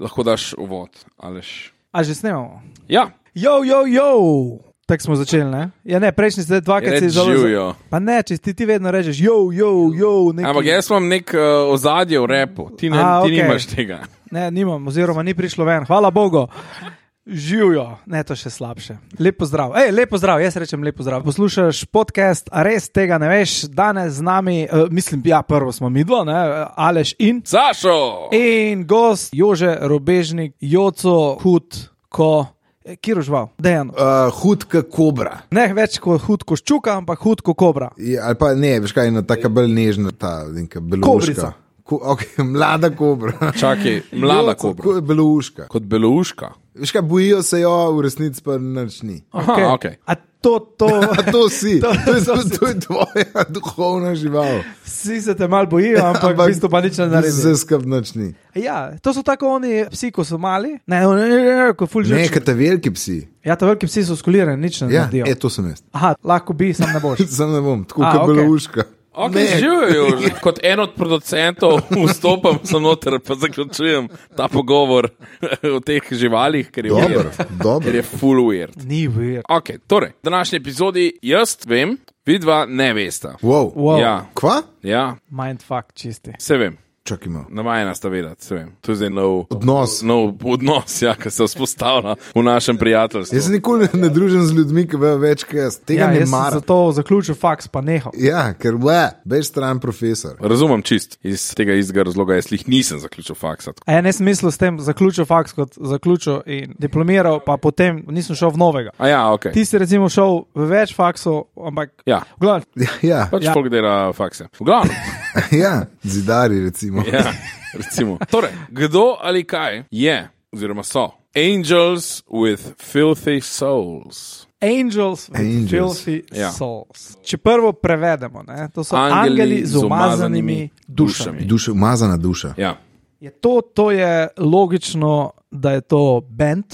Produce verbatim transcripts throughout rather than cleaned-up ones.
lahko daš uvod, Aleš. A že snemamo? Ja. Jo, jo, jo! Tako smo začeli, ne? Ja, ne, prejšnji ste dvakrat si zelo... Živijo. Pa ne, če ti, ti vedno rečeš jo, jo, jo, neki... Ampak jaz imam nek uh, ozadje v repu, ti, ne, A, ti okay. nimaš tega. Ne, nimam, oziroma ni prišlo ven. Hvala Bogu. Živijo. Ne, to še slabše. Lep pozdrav. Ej, lep pozdrav, jaz rečem lep pozdrav. Poslušaš podcast, a res tega ne veš, danes z nami, uh, mislim, ja, prvo smo midva, ne, Aleš in... Sašo! In gost Jože Robežnik, Joco, hud, ko... Kjer užval? Dejan. Uh, hud kot kobra. Ne več kot hud kot ščuka, ampak hud kot kobra. Ja, ali pa ne, veš kaj, ena taka bolj nežna, ta neka belouška. Kobrica. Ko, okay, mlada kobra. Čakaj, mlada Jo, kobra. Kot belouška. Kot belouška. Veš kaj, bojijo se jo, v resnici pa nič ni. Aha, okej. A to, to... A to si, To- to, to, to je, si. to je tvoja duhovna žival. Vsi se te mal bojijo, ampak v bistvu pa nič ne naredi. Vse skup nič ni. Ja, to so tako oni psi, ko so mali. Ne, ne, ne, ne, ko ful Ne, žrčni. kaj te veliki psi. Ja, ta veliki psi so skulirani, nič ne Ja, naredijo. e, to sem jaz. Aha, lahko bi, sam ne boš. Sam ne bom, tako A, kot okej. belouška. Ok, Ne. živijo. Kot en od producentov vstopam sem noter, pa zaključujem ta pogovor o teh živalih, ker je Dobro, weird. Ker dobro. je full weird. Ni weird. Ok, torej, v današnji epizodi jaz vem, vidva ne vesta. Wow. Wow. Ja, Kva? ja, Mindfuck čisti. se vem. Čakaj malo. Navajena sta vedeti, se vem. To je zdaj nov Odnos. nov odnos, ja, ki se vzpostavlja v našem prijateljstvu. Jaz se nikoli ne družim z ljudmi, ki vejo več kot jaz. Tega Ja, ne jaz sem maram. zato zaključil faks, pa nehal. Ja, ker ble, bež stran profesor. Razumem čist, iz tega istega razloga jaz lih nisem zaključil faksa. A ja, ne sem mislil s tem zaključil faks kot zaključil in diplomiral, pa potem nisem šel v novega. A ja, ok. Ti si recimo šel v več faksov, ampak Ja, v glavnem, Ja, ja, pač Ja. folk dela fakse. V glavnem. ja, zidari recimo. Ja, recimo. Torej, kdo ali kaj je, oziroma so, angels with filthy souls. Angels with Angels. filthy Ja. souls. Če prvo prevedemo, ne, to so Angeli angeli z z umazanimi umazanimi dušami. dušami. Duša, umazana duša. Ja. Je to, to je logično, da je to band.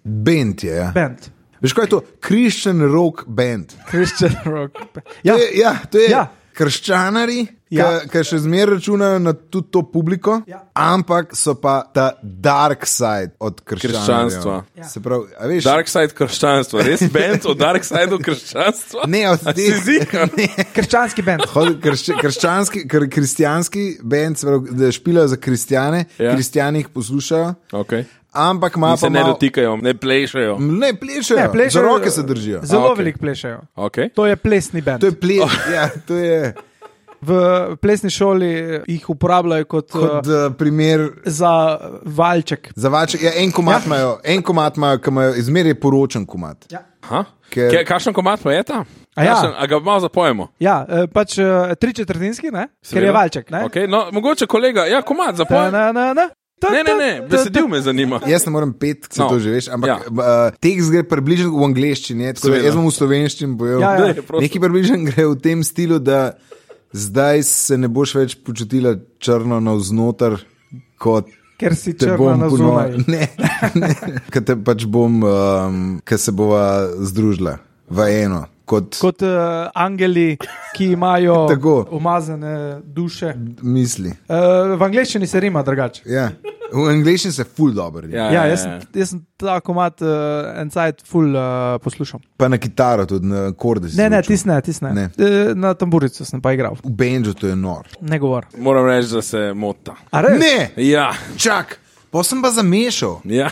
Band je, ja. Band. Veš kaj je to? Christian rock band. Christian rock. Ja, To je, ja, to je Ja. ja. krščanari, Ja. ki še zmeraj računajo na tudi to publiko, Ja. ampak so pa ta dark side od Krščanstva. Ja. Se pravi, a veš, Dark side krščanstva, res band o dark sideu krščanstva? ne od A si teh. ziher? krščanski band. Hod- kršč- Krščanski, kr, kristijanski band, se pravi, da špilajo za kristjane, Ja. ja. kristjani jih poslušajo, Okay. ampak ima In pa se ne malo- dotikajo, ne plešajo. Ne, plešajo, Ne, plešajo, za roke se držijo. Zelo A, ok. veliko plešajo. Okay. To je plesni band. To je ple, ja, to je V plesni šoli jih uporabljajo kot, kot uh, uh, primer. za valček. Za vače, ja, en komat imajo, en komat imajo, ki imajo izmerje poročen komat. Ja. Aha. Ker- Ker... Kakšen komad pa je ta? A ja. Kakšen, a ga malo zapojemo? Ja, eh, pač uh, tri četrtinski, ne? Ker je valček. Ne? Okay. No, mogoče kolega, ja, komad Ta, zapoj. na, na, na. Ta, Ne, ne, ne, ta, ta, besedil me zanima. Jaz ne morem pet, se No. no. to že veš, ampak Ja. ja. uh, tekst gre približno v angleščini, tako da Seveda. jaz bom v slovenščini bojeval. Ja, ja. Daj, prosim. Neki približno gre v tem stilu, da zdaj se ne boš več počutila črno navznoter, kot Ker si te črna bom na ponova- zunaj. Ne, ne, ker te pač bom, um, ker se bova združila v eno. Kot, kot Kot uh, angeli, ki imajo Tako. umazane duše. misli. Uh, v angleščini se rima drugače. Ja. V angleščini se ful dobro. Ja. Ja, jaz, sem- jaz sem ta komat uh, en cajt ful uh, poslušal. Pa na kitaro, tudi na korde. si Ne, ne, učil. tis ne, tis ne. Ne. Uh, na tamburico sem pa igral. V benžu to je nor. Ne govor. Moram reči, da se mota. A res? Ne, Ja, čak, pa sem pa zamešal. ja.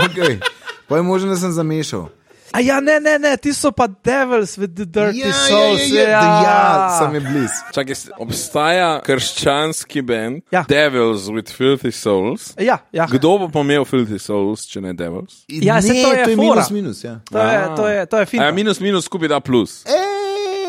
Okay. Pa je možno, da sem zamešal. A ja, ne, ne, ne, ti so pa devils with the dirty Ja, ja, souls. ja, ja, da ja, sem je bliz. Čakaj, obstaja krščanski band Ja. Devils with Filthy Souls. Ja, ja. Kdo bo pa imel Filthy Souls, če ne Devils? Ja, saj ne, to je to je fora. minus, minus, ja. To je, to je, to je A ja, fino. minus minus skupaj da plus. Ej,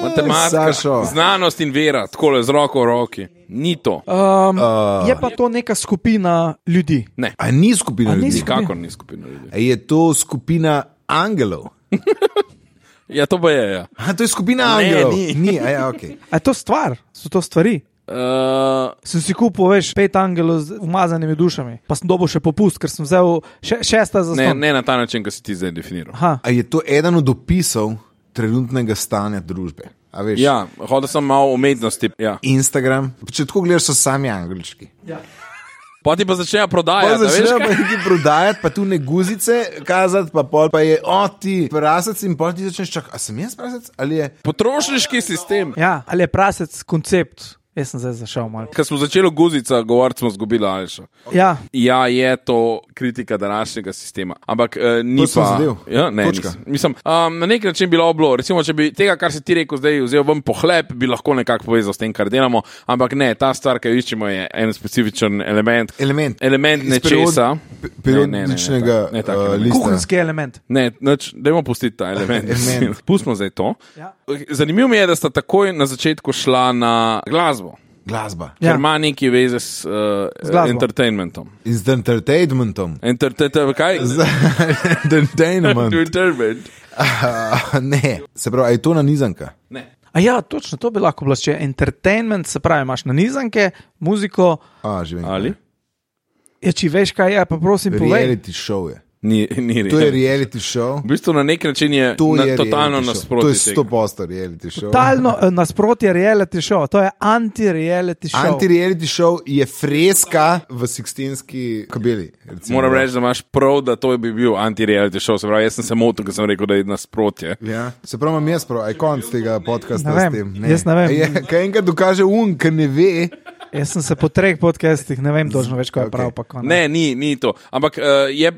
Matematika, Sašo. znanost in vera, tako le z roko v roki. Ni to. Um, Uh, je pa to neka skupina ljudi. Ne, A ni skupina A ni ljudi? skupina? nikakor ni skupina ljudi. A je to skupina angelov? Ja, to pa je, ja. A to je skupina Ne, angelov? ni. ni a ja, okay. A je to stvar? So to stvari? Uh, Sem si kupil, veš, pet angelov z umazanimi dušami, pa sem dobil še popust, ker sem vzel še, šesta za ne, ston. ne na ta način, kot si ti zdaj definiral. Aha. A je to eden od opisov trenutnega stanja družbe? A veš, Ja, hodil sem malo umetnosti. Ja. Instagram, če tako gledaš, so sami angelčki. Ja. Instagram, če tako gledaš, so sami angelčki. Ja. Če tako gledaš, so sami angelčki. Poti pa začnejo Pa prodajati. začnejo pa nekaj prodajati, pa tu ne guzice kazati, pa pol pa je, o ti prasec in pol ti začneš čakati, a sem jaz prasec ali je? Potrošniški sistem. Ja, ali je prasec koncept? Jaz sem zdaj zašel malo. Ko smo začeli guzica govoriti, smo zgubili Alša. Ja, Ja, je to kritika današnjega sistema. Ampak uh, ni To sem pa. zadev. Ja, ne, Točka. nisem. Mislim, um, na nek način bi bilo bilo. Recimo, če bi tega, kar si ti rekel, zdaj vzel ven pohlep, bi lahko nekako povezal s tem, kar delamo. Ampak ne, ta stvar, ki jo iščemo, je en specifičen element. Element. Element Iz nečesa. period- periodičnega, Ne, ne, ne, ne, ne, tak uh, element. lista. kuhinjski element. Ne, nič, dajmo pustiti ta element. Element. Pustimo zdaj to. Ja. Zanimivo mi je, da sta takoj na začetku šla na glasbo. Glasba. Ker Ja. ima neki veze s, uh, Z glasbo. entertainmentom. In z entertainmentom. Entertainment, kaj? Z entertainment. Entertainment. Uh, ne, se pravi, a je to nanizanka? Ne. A ja, točno, to bi lahko bilo. Če je entertainment, se pravi, imaš nanizanke, muziko, A, že vem. Ali? ja, če veš, kaj je, pa prosim, povej. Reality show je. Ni, ni To je res. reality show. V bistvu na nek način je, To na, je totalno reality show. nasprotje. To je tega. sto posto reality show. Totalno eh, nasprotje reality show, to je anti-reality show. Anti-reality show je freska v Sixtinski kabeli. recimo. Moram reči, da imaš prav, da to bi bil anti-reality show. Se pravi, jaz sem se motil, ker sem rekel, da je nasprotje. Ja, se pravi, imam jaz prav, aj konc tega podcasta Ne vem, s tem. jaz ne vem. Je, kaj enkrat dokaže un, ker ne ve. Jaz sem se po treh podcastih, ne vem točno več, kaj je Ok. prav. Pa, ko ne. Ne, ni, ni to. Ampak uh, je,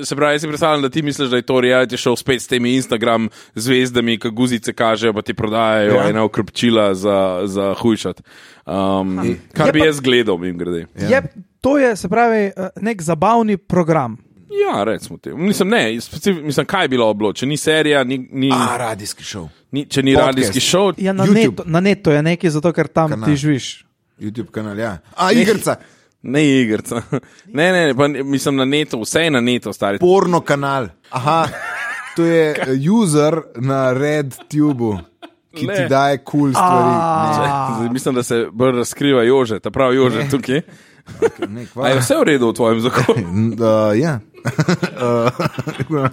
se pravi, jaz si predstavljam, da ti misliš, da je to reality show spet s temi Instagram zvezdami, ki guzice kažejo, pa ti prodajajo Ja. ja. ena okrepčila za, za hujšat. Um, kar Je bi pa- jaz gledal, mim grede. Ja. Je, to je, se pravi, eh, nek zabavni program. Ja, recimo te. Mislim, ne, specif, mislim, kaj je bilo oblo, če ni serija, ni, ni, A, radijski show. ni, če ni podcast. radijski show. Ja, na, YouTube. netu, na netu je nekaj, zato ker tam Kanal. ti živiš. YouTube kanal, ja. A, igrica. Ne igrca. Ne, ne, pa mislim na netu, vse je na netu, stari. Porno kanal. Aha, to je eh, user na RedTube, ki Ne. ti daje kul cool stvari. Ne. Zdaj, mislim, da se bolj razkriva Jože, ta pravi Jože tukaj. Ne, A je vse v redu v tvojem zakonu? uh, ja. uh,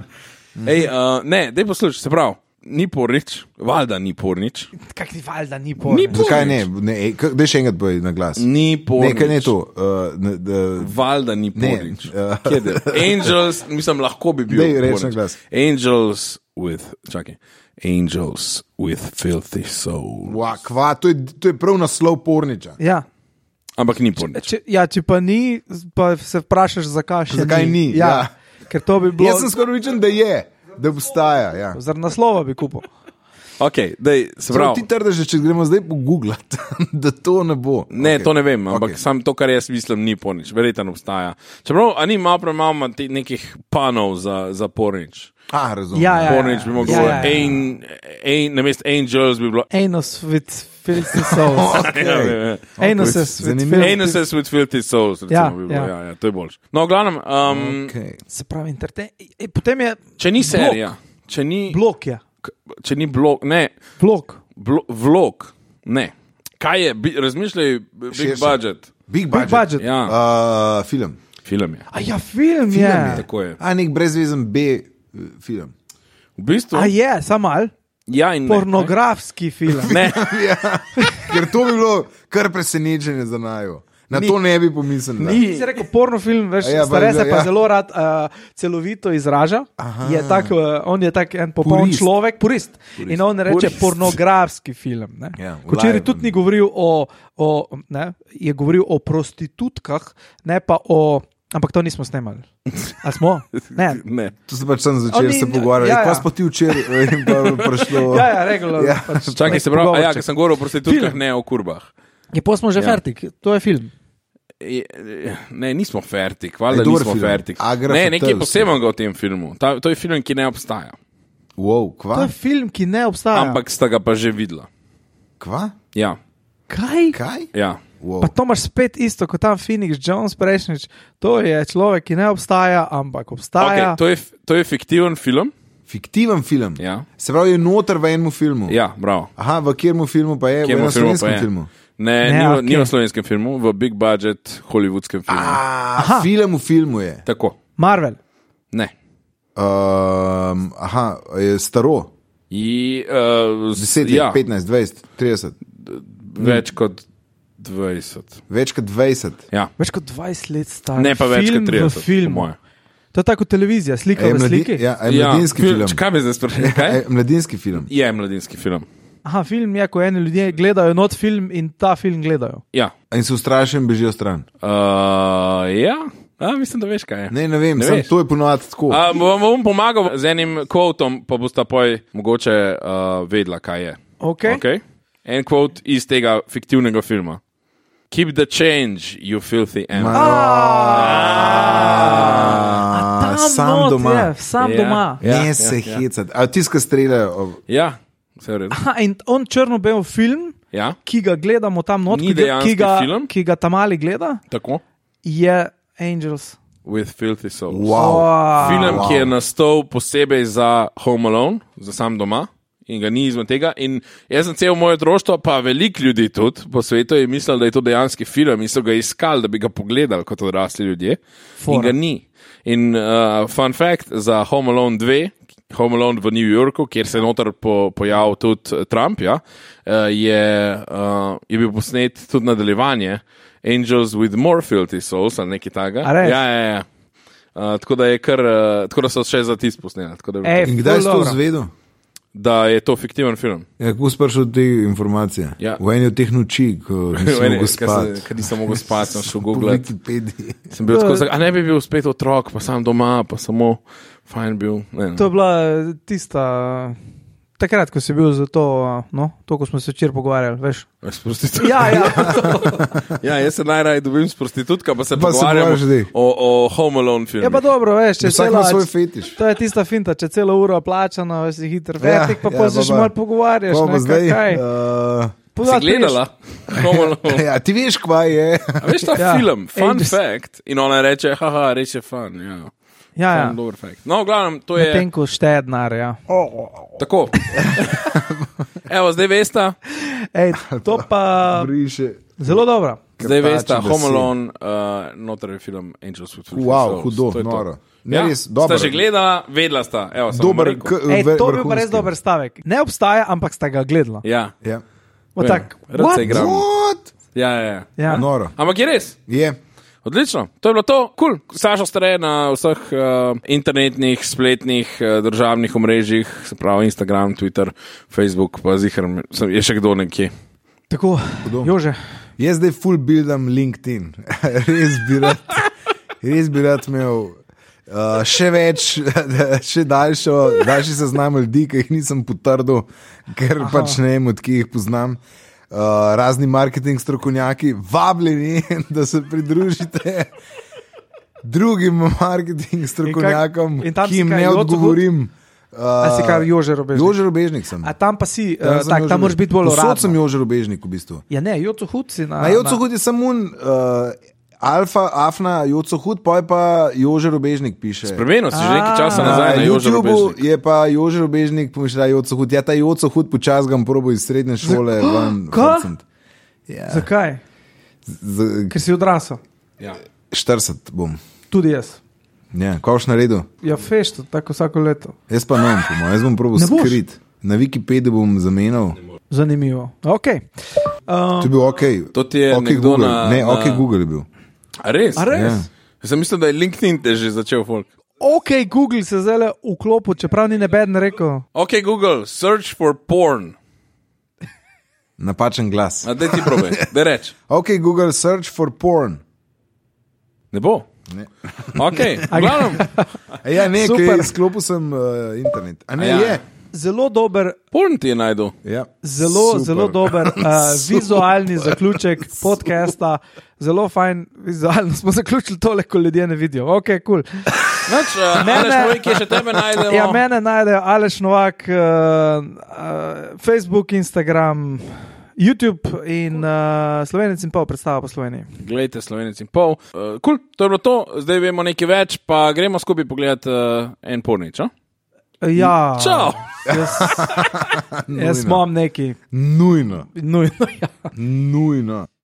Ej, uh, ne, daj poslušaj, se pravi, ni pornič, valjda ni pornič. Kaj ti valjda ni pol? Ni Zakaj ne? ne ej, k- Daj še enkrat boj na glas. Ni pornič. Nekaj ne to. Uh, ne, da, Valjda ni Ne, pornič. uh, Kje je? Angels, mislim, lahko bi bil. Daj, reči na pornič. glas. Angels with, čakaj, Angels with filthy soul. Wa, kva, to, je, to je prav naslov porniča. Ja. Ampak ni pornič. Če, ja, če pa ni, pa se vprašaš, zakaj še Zakaj ni, Ja, ja. Ker to bi bilo. Jaz sem skoraj vičen, da je, da obstaja. Ja. No, Zaradi naslova bi kupil. Ok, daj, se Prav, pravi. ti trdiš, če gremo zdaj pogooglati, da to ne bo. Ne, Ok. to ne vem, ampak Ok. okay. Sam to, kar jaz mislim, ni pornič. Verjetno obstaja. Čeprav, a ni malo premalo ima te- nekih panov za, za pornič. A, razumem. Ja, ja. Pornič bi mogel Ja, biti. ja, ja. Ein- ein- Namesto Angels bi bilo. Anus with filthy souls. Okay. Ja, ja, ja. Anuses with Zanimivo. filthy Anuses with filthy souls, recimo, Ja, bi bilo. ja. Ja, ja, to je boljše. No, v glavnem, um, Okay. Se pravi, entertain. E, potem je če ni serija, če ni, blok. Je. če ni blog, ne, Blok. blo, vlog, ne. Kaj je, bi, razmišljaj, big Širše. budget, Big Big budget. budget. ja, Uh, film. film je. A ja, film, Film je. je. Tako je. A, nek brezvezen B uh, film. V bistvu, A je, samo mal. ja in ne. Pornografski film. Ne, Ja, ker to bi bilo kar presenečenje za najo. Na Ni- to ne bi pomislil. da. ni. Si rekel pornofilm, veš, A ja, ja, stare se ja. pa zelo rad uh, celovito izraža. Je tak, uh, on je tak en popoln Purist. človek, purist. purist. In on reče Purist. pornografski film. Ja, Včeraj live. tudi ni govoril o, o ne, je govoril o prostitutkah, ne pa o. Ampak to nismo snemali. A smo? Ne. Ne. To se pač sem začel Oni- se pogovarjati. ja, Ja, ja. ja. Kaj ti včeraj eh, in pa prišlo? Ja, ja, regularno. Ja. Pač Čakaj, nek se pravi, a ja, pogovorček. ker sem govoril o prostitutkah, Film. ne o kurbah. Je pa smo že Ja. fertik, to je film. Je- Ne, nismo fertik, valjda Je dober nismo film. fertik. Agra Ne, nekaj Fatales. posebnega v tem filmu. Ta, to je film, ki ne obstaja. Wow, To kva? je film, ki ne obstaja. Ampak sta ga pa že videla. Kva? Ja, Kaj? Kaj? ja. Wow. Pa to imaš spet isto kot tam Phoenix Jones prejšnjič. To je človek, ki ne obstaja, ampak obstaja. Okay, to, je, to je fiktiven film. Fiktiven film. Ja, Se pravi, je noter v enem filmu. ja bravo. Aha, v katerem filmu pa je? Kjer v enem filmu pa slovenskem je? filmu. Ne, Ne, ni, v, okej. ni v slovenskem filmu, v big budget hollywoodskem filmu. A, Aha. film v filmu je. Tako. Marvel. Ne. Um, aha, je staro. I, uh, deset let, ja, petnajst, dvajset, trideset. več kot dvajset. Več kot dvajset. Ja. Več kot dvajset let star. Ne pa več film kot trideset, v filmu. po moje. To je tako televizija, slika Ej, v mladi, sliki. ja, ej, mladinski ja, film. Kaj bi zdaj sprašali? Kaj? Ej, mladinski film. Je mladinski film. Aha, film je, ko eni ljudje gledajo not film in ta film gledajo. Ja. In se ustrašijo in bežijo stran. Uh, ja. A, mislim, da veš, kaj je. Ne, ne vem, Ne sam veš. to je ponovadi tako. A, bom vam pomagal z enim kvotom, pa boste poj mogoče uh, vedela, kaj je. Okay. Okay? En kvot iz tega fiktivnega filma. Keep the change, you filthy animal. A, sam not doma. Je, sam Ja. doma. Ja, Ne ja, se ja. hecati. A tiska streljajo. Ja, vse v redu. Aha, in on črno-bel film, Ja, ki ga gledamo tam not, Ni ki ga, dejanski ki ga, film? ki ga ta mali gleda, tako. je Angels. With filthy souls. Wow. Film, Wow. ki je nastal posebej za Home Alone, za sam doma. In ga ni izmed tega. In jaz sem cel moje otroštvo, pa veliko ljudi tudi po svetu je mislil, da je to dejanski film in so ga iskali, da bi ga pogledali kot odrasli ljudje. Fora. In ga ni. In uh, fun fact za Home Alone dva, Home Alone v New Yorku, kjer se je noter po, pojavil tudi Trump, ja, uh, je, uh, je bil posnet tudi nadaljevanje Angels with More Filthy Souls ali nekaj takega. A res? Ja, ja, ja. Uh, tako da je kar, uh, tako da so še za tisk posneli. tako da je bilo Ej, to- In kdaj si ful to dobro. zvedel? Da je to fiktiven film. Ja, kako si prišel do te informacije? Ja. V eni od teh noči, ko nisem mogel spati. Ker nisem mogel spati, sem šel Po googlat. Wikipediji. Sem bil tako, a ne bi bil spet otrok, pa sam doma, pa samo fajn bil. Ne, To je bila tista, takrat, ko si bil za to, no, to, ko smo se včeraj pogovarjali, veš. S prostitutko. Ja, ja. Ja, jaz se najraje dobim s prostitutko, pa se Pa se pogovarjam pogovarjaš zdaj. o, o Home Alone filmu. Je pa dobro, veš, če Vsak cela, ima svoj fetiš. to je tista finta, če celo uro plačano, veš, si hiter Ja, vertik, pa ja, pa se pa še pa- malo pogovarjaš. Pa ne, pa zdaj. kaj. Uh, Si Pozad gledala? Home Alone. ja, ti veš, kva je. A veš ta Ja. film, fun Angels. fact, in ona reče, haha, res je fun. Ja. Ja, ja. Fun, dober fact. No, v glavnem, to je Medtem ko šteje denar, ja. tako. Evo, zdaj veste, Ej, to pa Briše. zelo dobro. zdaj Krtači veste, besed. Home Alone, uh, noter je film Angels with Filthy Wow, Souls. hudo, To je to. noro. Ne, Ja, res, dobro. Sta že gledala, vedela sta. Evo, sem vam Dober, rekel. k, Ej, ve- to bi pa res vrhunski. dober stavek. Ne obstaja, ampak sta ga gledala. Ja, Ja. O, Vem, tak, rad what? se igram. What? ja, ja, ja. Ja. Noro. Ampak je res. Je. Odlično, to je bilo to, kul. Cool. Sašo stare na vseh uh, internetnih, spletnih, uh, državnih omrežjih, se pravi Instagram, Twitter, Facebook, pa zihar, je še kdo nekje. Tako, Hudo. Jože. Jaz zdaj full buildam LinkedIn. res bi rad, res bi rad imel uh, še več, še daljšo, daljši seznam ljudi, ki jih nisem potrdil, ker Aha. pač ne vem, od kje jih poznam. Uh, razni marketing strokovnjaki, vabljeni, da se pridružite drugim marketing strokovnjakom, in tam ki si jim kaj, ne Joco odgovorim. A si kar Jože Robežnik? Jože Robežnik sem. A tam pa si, Tam uh, sem tak, Jože tam moraš biti bolj Povsod sem uraden. Jože Robežnik v bistvu. Ja, ne, Joco Hud si na. Na Joco Hud je samo un, uh, Alfa, Afna, Joco Hud, pa je pa Jože Robežnik piše. Spremenil si že nekaj A. časa Na nazaj na Jožo YouTubeu Robežnik. je pa Jože Robežnik, pomišlja Joco Hud. Ja, ta Joco Hud počas ga probo iz srednje šole ven. Kaj? frcnit. Ja, Zakaj? z- Ker si odrasel. Ja. štirideset bom. Tudi jaz. Ja, kaj boš naredil? Ja, fešto, tako vsako leto. Jaz pa ne bom, po mojem. Jaz bom probo Ne boš? skrit. Na Wikipediji bom zamenjal. Zanimivo. Okay. Um, To je bil OK. To ti je OK nekdo Google. na- Ne, na- OK Google je bil. A res? A res? Ja. Jaz sem mislil, da je LinkedIn te že začel folk. ok, Google se zdaj vklopil, čeprav ni nebeden rekel. Ok, Google, search for porn. Napačen glas. A daj ti probaj, da reč. OK Google, search for porn. Ne bo. Ne. Ok, glavno. A ja, ne, Super. ker izklopil sem uh, internet. A ne, A ja. je. Zelo dober, Porn ti je najdel. Ja. zelo, Super. zelo dober uh, vizualni zaključek podcasta. Zelo fajn, vizualno smo zaključili tole, ko ljudje ne vidijo. Ok, kul. Cool. Noč, uh, Mene- Aleš, povej, kje še tebe najdemo. Ja, mene najdejo Aleš Novak, uh, uh, Facebook, Instagram, YouTube in uh, Slovenec in pol predstava po Sloveniji. Glejte, Slovenec in pol. Uh, cool, to je bilo to, zdaj vemo nekaj več, pa gremo skupaj pogledati uh, en pornič. No? Ja, Čau! jaz, jaz Nujno. imam neki, Nujno. nujno. Ja. Nujno.